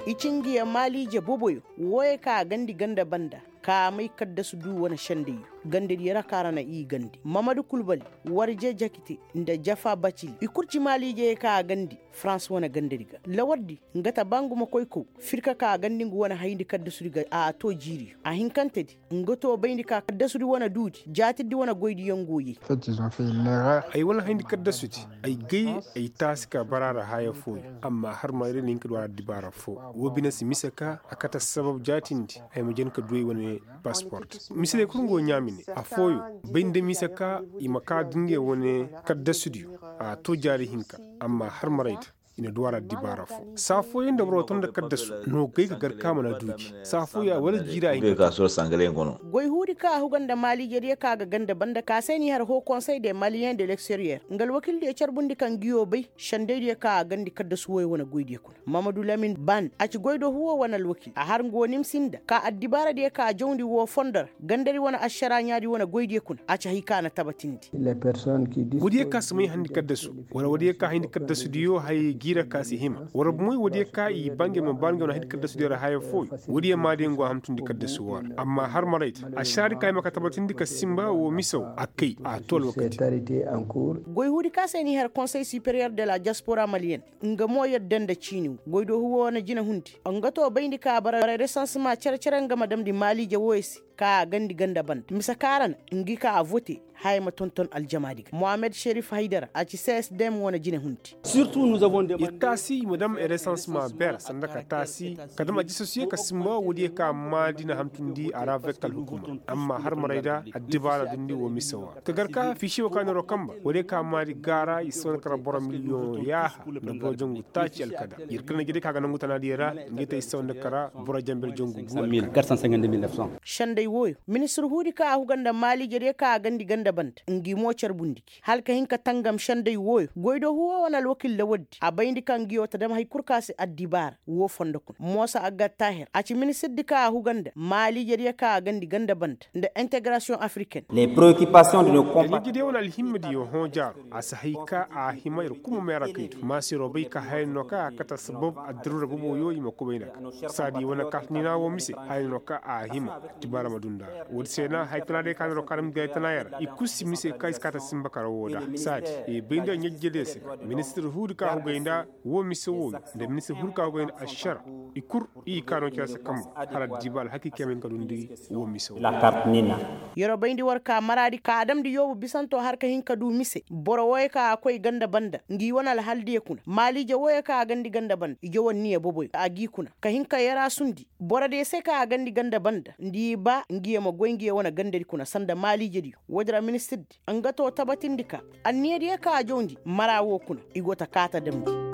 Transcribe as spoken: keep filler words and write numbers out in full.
I ci ngiya maaliije boboyo wooyo ka a gandi ganda banda ka a may kaddasu du wane sendayyo. Gandadiyo ra ka ra na i gandi mamadu kulbali, warje jakite, nda jafa bacili i kul ci maaliijey ka a gandi farans wane gandadi ga. Lawardi nga ta ba ngu ma koy kaw firka ka a gandi ngu wane hayndi kaddasudi ga a to jiiriyo a hinkantedi. Nga to bayndi ka kaddasudi wane duudi jaatirdi wane goydiyaŋ go yay. Ay wane hayndi kaddasudi, ay gay ay taasi ka bara ra haya fooyo. Amma har maray day na hin ka du a ra addibaara foo. Woo bine si mise ka a kate assabab jaatindi ay ma jen ka du ay wane pasport. Mise day kul nga wo ɲaami ne. Affooyo bay nda mise ka i ma kaa da ngey wane kaddasudiyo. A to jaari hinka. Amma har maray da i na du a ra addibaara foo. Saa fooyaŋ da boro to nda kaddasu no gay ka gar ka a mana du gi. Saa fooyaŋ wala jiira a hin ka. Goy huudi ka a huga nda maaliijediyo ka a ga ganda banda ka se n'i har hoo konsey de maliyen de leksteriyer nga alwakildiyo carbundi ka nguyo bay. Sendaydiyo ka a gandi kaddasu wooyo wane goydiyo kuna. Mamadu lamin ban a ci goy do huwo wane alwakil a har nga wo nimsi nda ka addibaaradiyo ka a jawndi woo fondo ra. Gandadi wane ašaraa ɲaadi wane goydiyo kuna a ci hay ka a na tabatindi. Woodiyo ka si may hayndi kaddasu wala woodiyo ka hayndi kaddasudiyo hayey jiira ka si hima wala bomoy woodiyo ka i ba ngey ma ba ngey wane hayndi kaddasudiyo ra haya fooyo. Woodiyo maadiyo ngo a hamtundi kaddasu woo ra amma har maray ta ašaraadi ka hima ka tabatindi ka sinba woo mise woo a kay a to alwakati. Goy huudi ka se n'i har konsey superiyer de la diaspora maliyen. Nga mo yadda nda ciini woo goy do huwo wane jinahundi nga to bayndi ka a bara resansema cere-cere nga ma damndi maaliije wooyo se. Ka a gandi ganda banda mise ka ra na ngi ka a vote haya ma tonton aljamaadi ga mohammed šerif haydara a ci csdm wane jinahundi. Ir taasi i ma dam resansema ber sanda ka taasi ka dam aljisasuye ka sinba woodiyo ka maadi na hamtundi a ra vektal hukuma. Amma har maray da addibaara dundi woo mise woo ra ka gar ka fiisiyo ka neeroo kanba woodiyo ka maadi gaara i si wane kara boro miliyoŋ yaaha nda boro jangu taaci alkada. Yer kala na jede ka ga nangu tanaadiyo ra ngi te i si wane kara boro janber jangu gu alkada. Senday wooyo ministir huudi ka a huga nda maaliijediyo ka a gandi ganda banda ngi mo carbundi gi hala ka hin ka tangam senday wooyo goy do huwo wane alwakil lawardi a bayndi ka ngiyo ta dam hay kul ka se addibaara. Woo fondo kuna moosa agga taahir a ci ministirdi ka a huga nda maaliijediyo ka a gandi ganda banda nda integarasiyoŋ afriken. Ɲaŋijediyo wane alhimmadiyo hõ jaaro a si hay ka a hima yer kul ma meera kaydu maasiroo bay ka haya no ka a kate assabab addaruura boboyo i ma kubay nda a ga saadi wane kartiniina woo mise haya no ka a hima. Tibaara ma du nda a ra woodi se na haya tana day ka neeroo ka damndi gay tana yer i kul si mise ka i si kaate sinba kara woo da saadi i bay nda ɲaŋijediyo se. Ministir huudi ka hugay nda woo mise wooyo nda ministir huudi ka hugay nda ašara i kul i kaanoo cere se kanba. Hala diiba alhakiikey ma hin ka dundi woo mise woo. Yeroo bayndi war ka maraadi ka a damndi yoobu bisanto har ka hin ka du mise boro wooyo ka a koy ganda banda ngi wane alhaldiyo kuna maaliije wooyo ka a gandi ganda banda ijo wane niya boboyo a g'i kuna ka hin ka yaraasundi borodiyo se ka a gandi ganda banda nda i ba ngiyo ma goy ngiyo wane gandadi kuna sanda maaliijediyo. Woodi ra ministirdi nga too tabatindi ka anniyadiyo ka a jawndi mara woo kuna i go ta kaa ta damndi.